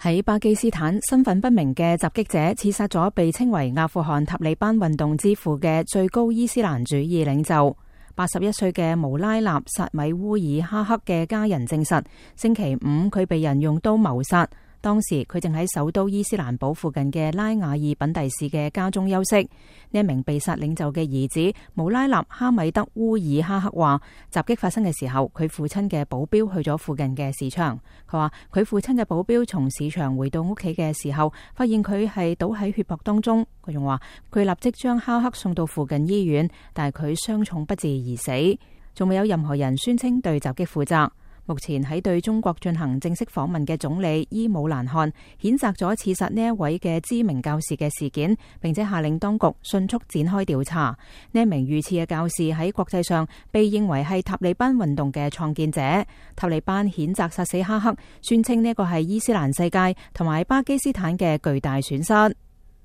喺巴基斯坦，身份不明嘅襲擊者刺殺咗被稱為阿富汗塔利班運動之父嘅最高伊斯蘭主義領袖。81歲嘅穆拉納薩米烏爾哈克嘅家人證實，星期五佢被人用刀謀殺。當時佢正喺首都伊斯蘭堡附近嘅拉瓦爾品第市嘅家中休息。呢一名被殺領袖嘅兒子穆拉納哈米德烏爾哈克話，襲擊發生嘅時候，佢父親嘅保鏢去咗附近嘅市場。佢話佢父親嘅保鏢從市場回到屋企嘅時候，發現佢係倒喺血泊當中。佢仲話佢立即將哈克送到附近醫院，但係佢傷重不治而死。仲未有任何人宣稱對襲擊負責。目前喺對中國進行正式訪問嘅總理伊姆蘭汗譴責咗刺殺呢一位嘅知名教士嘅事件，並且下令當局迅速展開調查。呢一名遇刺嘅教士喺國際上被認為係塔利班運動嘅創建者。塔利班譴責殺死哈克，宣稱呢個係伊斯蘭世界同埋巴基斯坦嘅巨大損失。